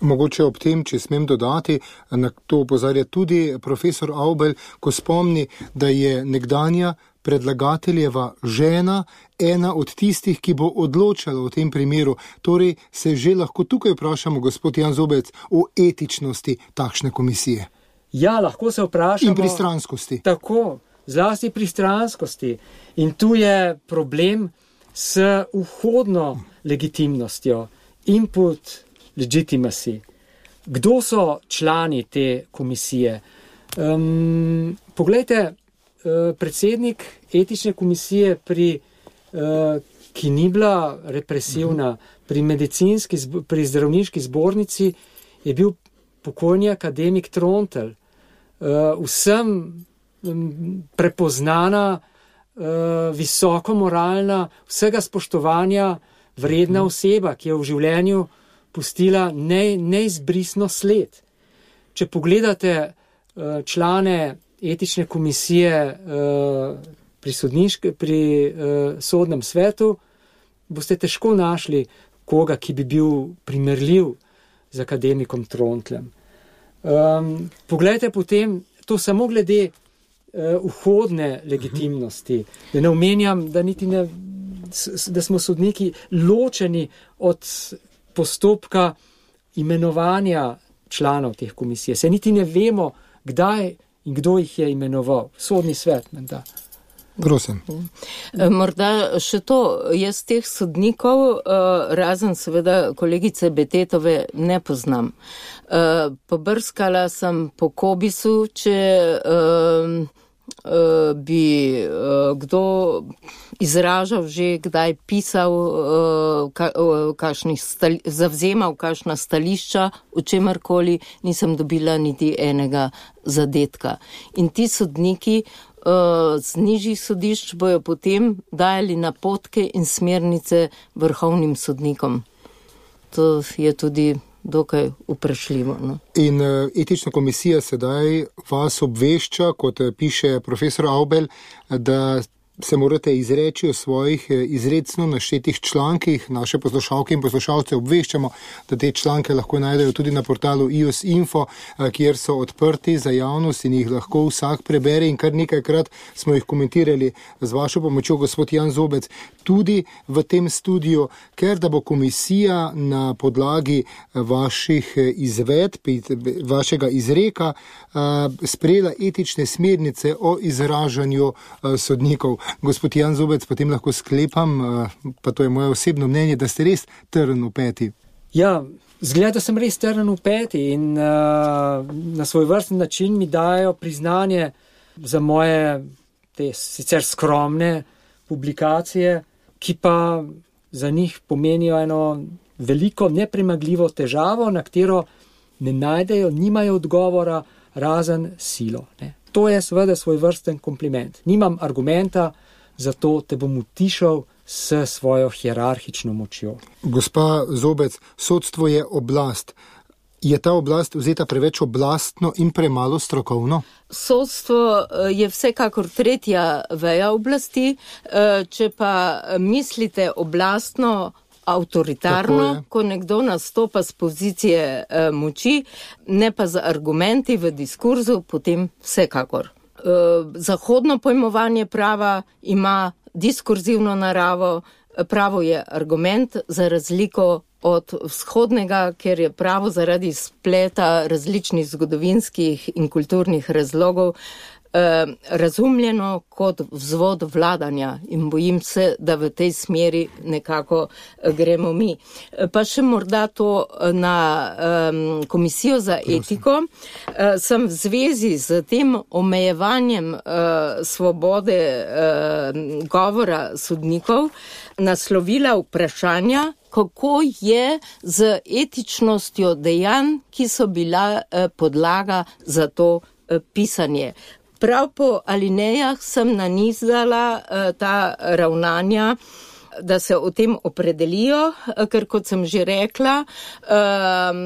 B: Mogoče ob tem, če smem dodati, na to opozarja tudi profesor Avbelj, ko spomni, da je nekdanja predlagateljeva žena ena od tistih, ki bo odločala v tem primeru. Torej se že lahko tukaj vprašamo, gospod Jan Zobec, o etičnosti takšne komisije.
D: Ja, lahko se vprašamo.
B: In pristranskosti.
D: Tako. Zlasti pristranskosti. In tu je problem s vhodno legitimnostjo, input legitimacy. Kdo so člani te komisije? Um, poglejte, uh, predsednik etične komisije, pri, uh, ki ni bila represivna, pri medicinski, pri zdravniški zbornici, je bil pokojni akademik Trontelj. Uh, vsem prepoznana, visoko moralna, vsega spoštovanja vredna oseba, ki je v življenju pustila ne, neizbrisno sled. Če pogledate člane etične komisije pri, sodniške, pri sodnem svetu, boste težko našli koga, ki bi bil primerljiv z akademikom Trontljem. Poglejte potem, to samo glede vhodne legitimnosti, da ne omenjam, da, niti ne, da smo sodniki ločeni od postopka imenovanja članov teh komisij. Se niti ne vemo, kdaj in kdo jih je imenoval. Sodni svet, menda.
B: Prosim.
C: Morda še to, jaz teh sodnikov, razen seveda kolegice Betetove, ne poznam. Pobrskala sem po Kobisu, če bi kdo izražal že, kdaj pisal, kakšnih stali, zavzemal kakšna stališča, o čemerkoli, nisem dobila niti enega zadetka. In ti sodniki z nižjih sodišč bojo potem dajali napotke in smernice vrhovnim sodnikom. To je tudi dokaj vprašljivo. No?
B: In etična komisija sedaj vas obvešča, kot piše profesor Avbelj, da se morate izreči o svojih izrecno naštetih člankih. Naše poslušalke in poslušalce obveščamo, da te članke lahko najdejo tudi na portalu i o s info, kjer so odprti za javnost in jih lahko vsak prebere, in kar nekajkrat smo jih komentirali z vašo pomočjo, gospod Jan Zobec, tudi v tem studiu, ker da bo komisija na podlagi vaših izvedb, vašega izreka sprejela etične smernice o izražanju sodnikov. Gospod Jan Zobec, potem lahko sklepam, pa to je moje osebno mnenje, da ste res trn v peti.
D: Ja, zgleda, da sem res trn v peti in uh, na svoj vrsten način mi dajo priznanje za moje te sicer skromne publikacije, ki pa za njih pomenijo eno veliko nepremagljivo težavo, na katero ne najdejo, nimajo odgovora, razen silo. Ne. To je seveda svoj vrsten kompliment. Nimam argumenta, zato te bom utišal s svojo hierarhično močjo.
B: Gospa Zobec, sodstvo je oblast. Je ta oblast vzeta preveč oblastno in premalo strokovno?
C: Sodstvo je vsekakor tretja veja oblasti, če pa mislite oblastno, avtoritarno, ko nekdo nastopa z pozicije e, moči, ne pa z argumenti v diskurzu, potem vsekakor. E, zahodno pojmovanje prava ima diskurzivno naravo, pravo je argument za razliko od vzhodnega, ker je pravo zaradi spleta različnih zgodovinskih in kulturnih razlogov eh, razumljeno kot vzvod vladanja in bojim se, da v tej smeri nekako gremo mi. Pa še morda to na um, komisijo za etiko. Uh, sem v zvezi z tem omejevanjem uh, svobode uh, govora sodnikov naslovila vprašanja, kako je z etičnostjo dejanj, ki so bila uh, podlaga za to uh, pisanje. Prav po alinejah sem nanizala uh, ta ravnanja, da se o tem opredelijo, ker kot sem že rekla, um,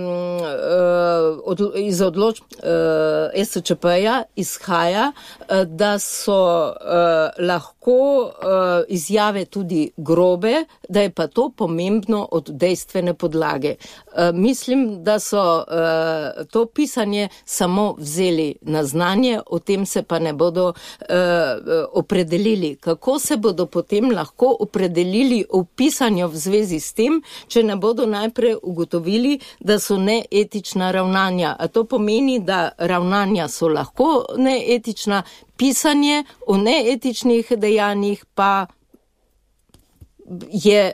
C: od, iz odločb uh, S Č P-ja izhaja, uh, da so uh, lahko uh, izjave tudi grobe, da je pa to pomembno od dejstvene podlage. Uh, mislim, da so uh, to pisanje samo vzeli na znanje, o tem se pa ne bodo uh, opredelili. Kako se bodo potem lahko opredelili v pisanju v zvezi s tem, če ne bodo najprej ugotovili, da so neetična ravnanja. A to pomeni, da ravnanja so lahko neetična, pisanje o neetičnih dejanjih pa je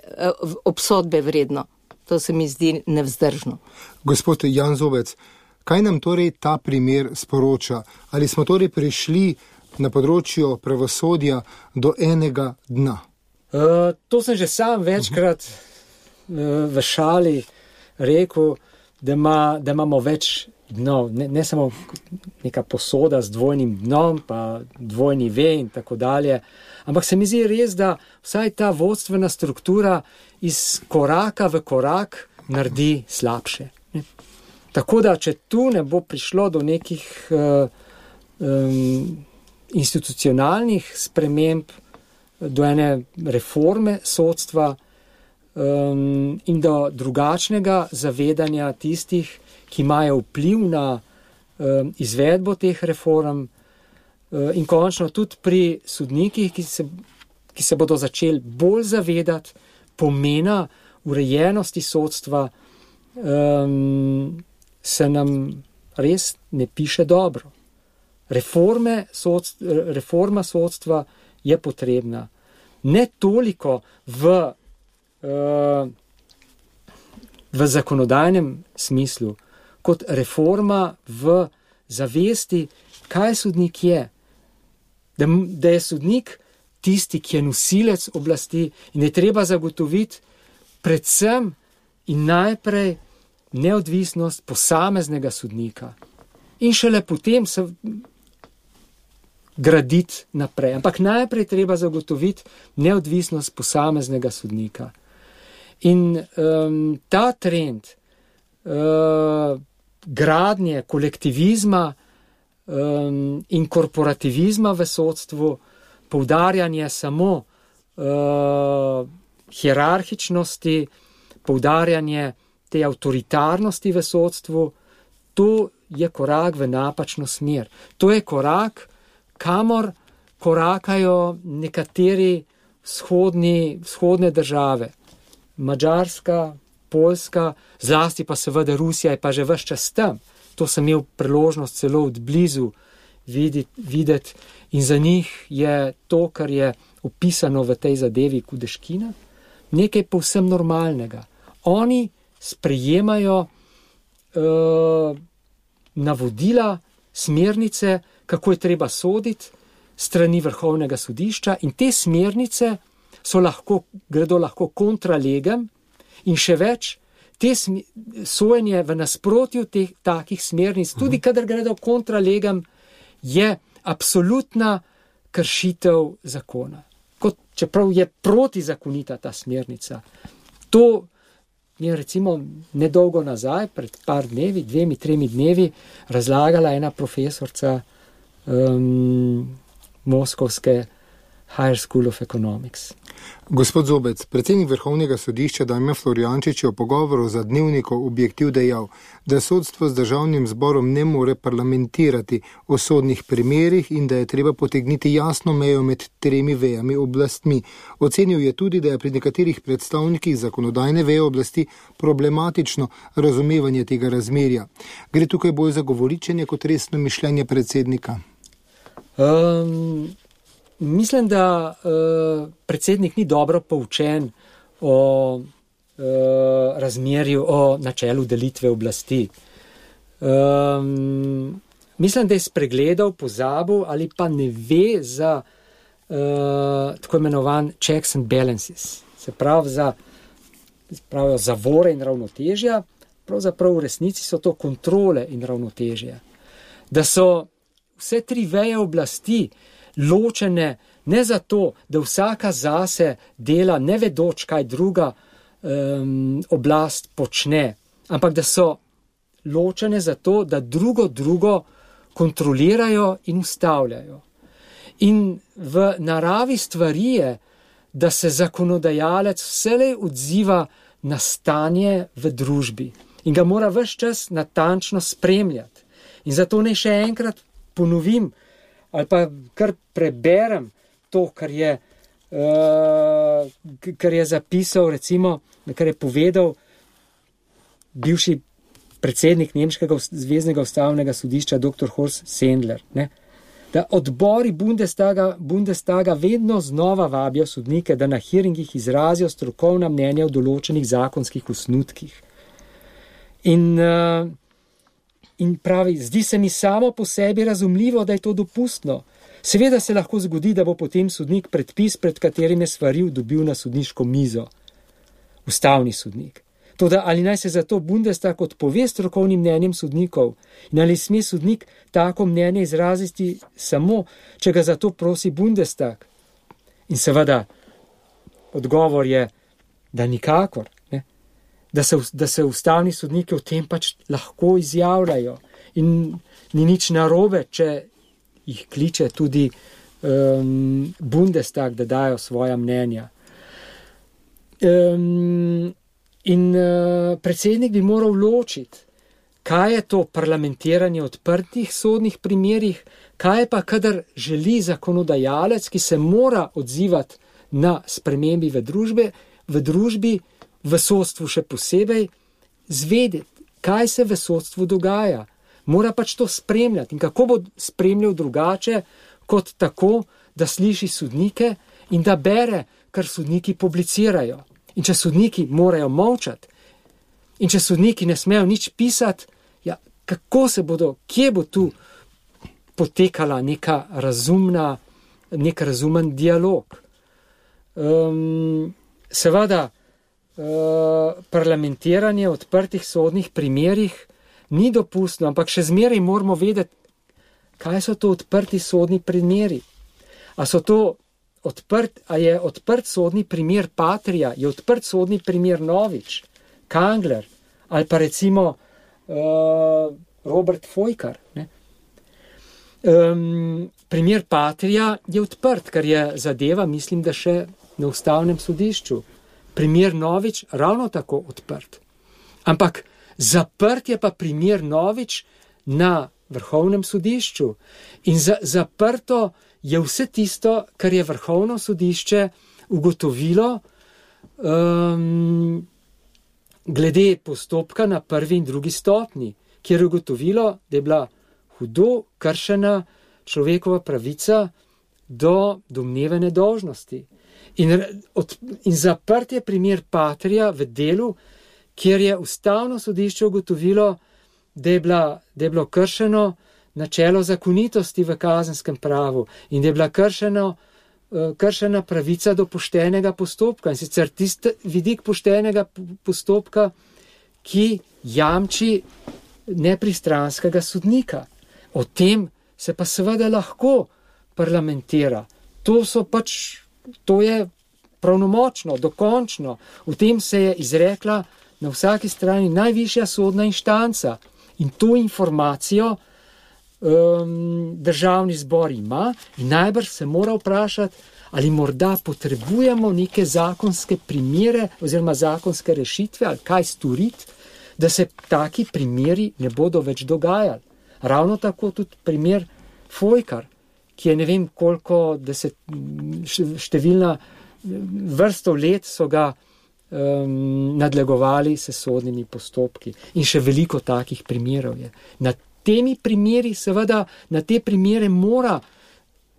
C: obsodbe vredno. To se mi zdi nevzdržno.
B: Gospod Jan Zobec, kaj nam torej ta primer sporoča? Ali smo torej prišli na področju pravosodja do enega dna?
D: Uh, to sem že sam večkrat uh, v šali rekel, da, ima, da imamo več dnov, ne, ne samo neka posoda z dvojnim dnom, pa dvojni ve in tako dalje, ampak se mi zdi res, da vsaj ta vodstvena struktura iz koraka v korak naredi slabše. Ne? Tako da, če tu ne bo prišlo do nekih uh, um, institucionalnih sprememb, do ene reforme sodstva um, in do drugačnega zavedanja tistih, ki imajo vpliv na um, izvedbo teh reform uh, in končno tudi pri sodnikih, ki se, ki se bodo začeli bolj zavedati pomena urejenosti sodstva, um, se nam res ne piše dobro. Reforme sodstva, reforma sodstva je potrebna. Ne toliko v, uh, v zakonodajnem smislu, kot reforma v zavesti, kaj sodnik je. Da, da je sodnik tisti, ki je nosilec oblasti in je treba zagotoviti predvsem in najprej neodvisnost posameznega sodnika. In šele potem se graditi naprej. Ampak najprej treba zagotoviti neodvisnost posameznega sodnika. In um, ta trend uh, gradnje kolektivizma um, in korporativizma v sodstvu, poudarjanje samo uh, hierarhičnosti, poudarjanje te avtoritarnosti v sodstvu, to je korak v napačno smer. To je korak, kamor korakajo nekateri vzhodni, vzhodne države. Madžarska, Poljska, zlasti pa seveda Rusija je pa že ves čas tam. To sem imel priložnost celo od blizu videti, videti in za njih je to, kar je opisano v tej zadevi Kudeškina, nekaj povsem normalnega. Oni sprejemajo uh, navodila, smernice, kako je treba soditi strani Vrhovnega sodišča in te smernice so lahko, gredo lahko kontra legem in še več, te sojenje v nasprotju teh takih smernic, tudi uh-huh. kadar gredo kontra legem, je absolutna kršitev zakona. Kot čeprav je protizakonita ta smernica. To je recimo nedolgo nazaj, pred par dnevi, dvemi, tremi dnevi, razlagala ena profesorca Um, Moskovske Higher School of Economics.
B: Gospod Zobec, predsednik Vrhovnega sodišča Damjan Florjančič je v pogovoru za Dnevnik Objektiv dejal, da sodstvo z državnim zborom ne more parlamentirati o sodnih primerih in da je treba potegniti jasno mejo med tremi vejami oblastmi. Ocenil je tudi, da je pri nekaterih predstavnikih zakonodajne veje oblasti problematično razumevanje tega razmerja. Gre tukaj bolj za govoričenje kot resno mišljenje predsednika?
D: Um... Mislim, da uh, predsednik ni dobro poučen o uh, razmerju, o načelu delitve oblasti. Um, mislim, da je spregledal, pozabil ali pa ne ve za uh, tako imenovan checks and balances. Se pravi, za pravijo, zavore in ravnotežja, pravzaprav v resnici so to kontrole in ravnotežja. Da so vse tri veje oblasti ločene ne zato, da vsaka zase dela ne vedoč, kaj druga um, oblast počne, ampak da so ločene zato, da drugo drugo kontrolirajo in ustavljajo. In v naravi stvari je, da se zakonodajalec vselej odziva na stanje v družbi in ga mora ves čas natančno spremljati. In zato naj še enkrat ponovim, ali pa kar preberem to, kar je, uh, kar je zapisal, recimo, kar je povedal bivši predsednik Nemškega zveznega ustavnega sodišča doktor Horst Sendler, ne? Da odbori Bundestaga, Bundestaga vedno znova vabijo sodnike, da na hearingih izrazijo strokovna mnenja o določenih zakonskih osnutkih. In uh, In pravi, zdi se mi samo po sebi razumljivo, da je to dopustno. Seveda se lahko zgodi, da bo potem sodnik predpis, pred katerim je svaril, dobil na sodniško mizo. Ustavni sodnik. Toda ali naj se zato Bundestag odpove strokovnim mnenjem sodnikov in ali sme sodnik tako mnenje izraziti samo, če ga zato prosi Bundestag? In seveda odgovor je, da nikakor. Da se, da se ustavni sodniki o tem pač lahko izjavljajo in ni nič narobe, če jih kliče tudi um, Bundestag, da dajo svoja mnenja. Um, in uh, predsednik bi moral ločiti, kaj je to parlamentiranje odprtih sodnih primerih, kaj pa kadar želi zakonodajalec, ki se mora odzivati na spremembi v družbi, v družbi, v sodstvu še posebej, zvedeti, kaj se v sodstvu dogaja. Mora pač to spremljati. In kako bo spremljal drugače, kot tako, da sliši sodnike in da bere, kar sodniki publicirajo. In če sodniki morajo molčati, in če sodniki ne smejo nič pisati, ja, kako se bodo, kje bo tu potekala neka razumna, nek razumen dialog. Um, seveda, Uh, parlamentiranje v odprtih sodnih primerih ni dopustno, ampak še zmeraj moramo vedeti, kaj so to odprti sodni primeri. A so to odprt, a je odprt sodni primer Patria, je odprt sodni primer Novič, Kangler ali pa recimo uh, Robert Fojkar. Ne? Um, primer Patria je odprt, kar je zadeva, mislim, da še na ustavnem sodišču. Primer Novič ravno tako odprt. Ampak zaprt je pa primer Novič na Vrhovnem sodišču. In za, zaprto je vse tisto, kar je Vrhovno sodišče ugotovilo um, glede postopka na prvi in drugi stopnji, kjer je ugotovilo, da je bila hudo kršena človekova pravica do domneve nedolžnosti. In, od, in zaprt je primer Patria v delu, kjer je ustavno sodišče ugotovilo, da je, bila, da je bilo kršeno načelo zakonitosti v kazenskem pravu in da je bila kršeno, uh, kršena pravica do poštenega postopka. In sicer tisti vidik poštenega postopka, ki jamči nepristranskega sodnika. O tem se pa seveda lahko parlamentira. To so pač To je pravnomočno, dokončno. V tem se je izrekla na vsaki strani najvišja sodna inštanca. In to informacijo um, državni zbor ima in najbrž se mora vprašati, ali morda potrebujemo neke zakonske primere oziroma zakonske rešitve, ali kaj storiti, da se taki primeri ne bodo več dogajali. Ravno tako tudi primer Fojkar, ki je ne vem koliko deset, številna vrsto let so ga um, nadlegovali s sodnimi postopki. In še veliko takih primerov je. Na temi primeri, seveda, na te primere mora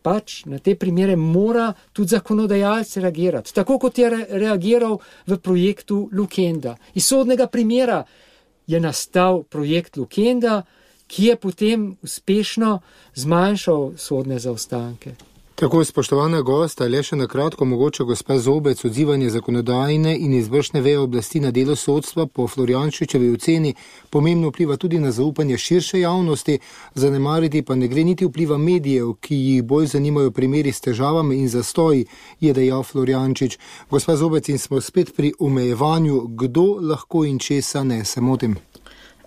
D: pač, na te primere mora tudi zakonodajalec reagirati. Tako kot je re- reagiral v projektu Lukenda. Iz sodnega primera je nastal projekt Lukenda, ki je potem uspešno zmanjšal sodne zaostanke.
B: Tako, spoštovana gosta, le še na kratko mogoče gospa Zobec, odzivanje zakonodajne in izvršne veje oblasti na delo sodstva po Florjančičevi oceni pomembno vpliva tudi na zaupanje širše javnosti, zanemariti pa ne gre niti vpliva medijev, ki jih bolj zanimajo primeri s težavami in zastoji, je dejal Florjančič. Gospa Zobec, in smo spet pri omejevanju, kdo lahko in česa ne, se motim?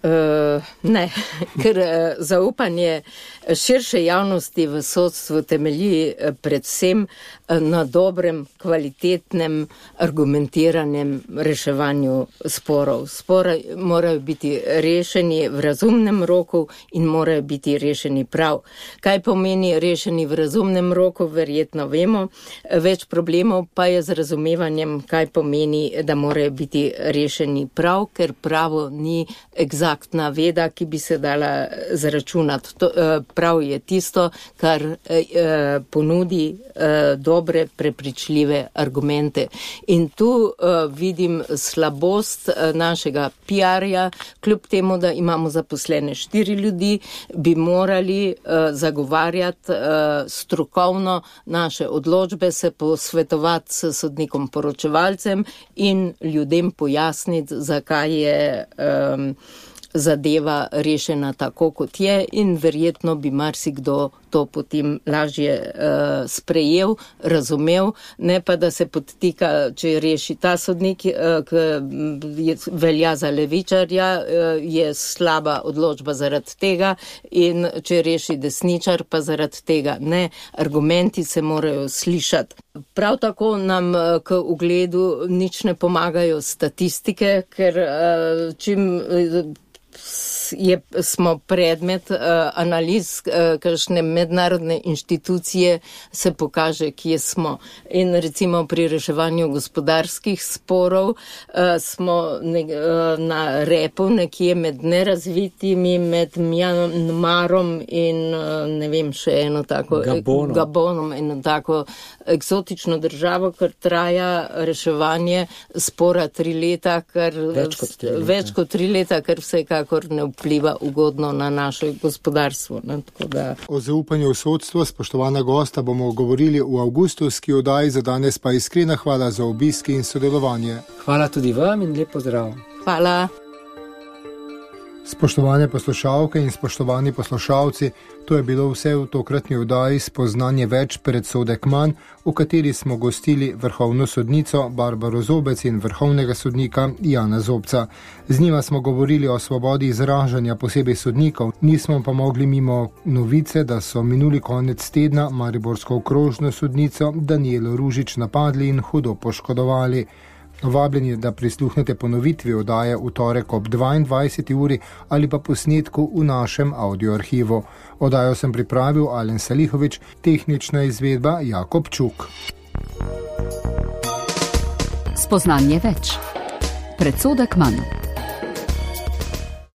C: Uh, ne, ker uh, zaupanje širše javnosti v sodstvu temelji uh, predvsem uh, na dobrem, kvalitetnem, argumentiranem reševanju sporov. Spore morajo biti rešeni v razumnem roku in morajo biti rešeni prav. Kaj pomeni rešeni v razumnem roku, verjetno vemo. Več problemov pa je z razumevanjem, kaj pomeni, da morajo biti rešeni prav, ker pravo ni egzaktno Aktna veda, ki bi se dala zaračunati. To, prav je tisto, kar eh, ponudi eh, dobre, prepričljive argumente. In tu eh, vidim slabost eh, našega P R-ja, kljub temu, da imamo zaposlene štiri ljudi, bi morali eh, zagovarjati eh, strokovno naše odločbe, se posvetovati s sodnikom poročevalcem in ljudem pojasniti, zakaj je eh, zadeva rešena tako, kot je, in verjetno bi marsikdo to potem lažje uh, sprejel, razumel, ne pa da se podtika, če reši ta sodnik, uh, ki velja za levičarja, uh, je slaba odločba zaradi tega, in če reši desničar, pa zaradi tega. Ne, argumenti se morajo slišati. Prav tako nam uh, k ugledu nič ne pomagajo statistike, ker uh, čim uh, Je, smo predmet uh, analiz, uh, kakšne mednarodne inštitucije, se pokaže, kje smo. In recimo pri reševanju gospodarskih sporov uh, smo ne, uh, na repu nekje med nerazvitimi, med Mjanmarom in uh, ne vem, še eno tako
D: Gabonom.
C: Gabonom, eno tako eksotično državo, ker traja reševanje spora tri leta, kar
D: več kot tri leta,
C: več kot tri leta, kar vsekakor ne vpliva ugodno na naše gospodarstvo. Ne, tako da.
B: O zaupanju v sodstvo, spoštovana gosta, bomo govorili v avgustovski oddaji, za danes pa iskrena hvala za obisk in sodelovanje.
D: Hvala tudi vam in lep pozdrav.
C: Hvala.
B: Spoštovane poslušalke in spoštovani poslušalci, to je bilo vse v tokratni oddaji Spoznanje več, predsodek manj, v kateri smo gostili vrhovno sodnico Barbaro Zobec in vrhovnega sodnika Jana Zobca. Z njima smo govorili o svobodi izražanja, posebej sodnikov, nismo pa mogli mimo novice, da so minuli konec tedna mariborsko okrožno sodnico Danijelo Ružič napadli in hudo poškodovali. Vabljeni, da prisluhnete ponovitvi oddaje v torek ob dvaindvajseti uri ali pa posnetku v našem audioarhivu. Oddajo sem pripravil Alen Salihovič, tehnična izvedba Jakob Čuk.
A: Spoznanje več. Predsodek manj.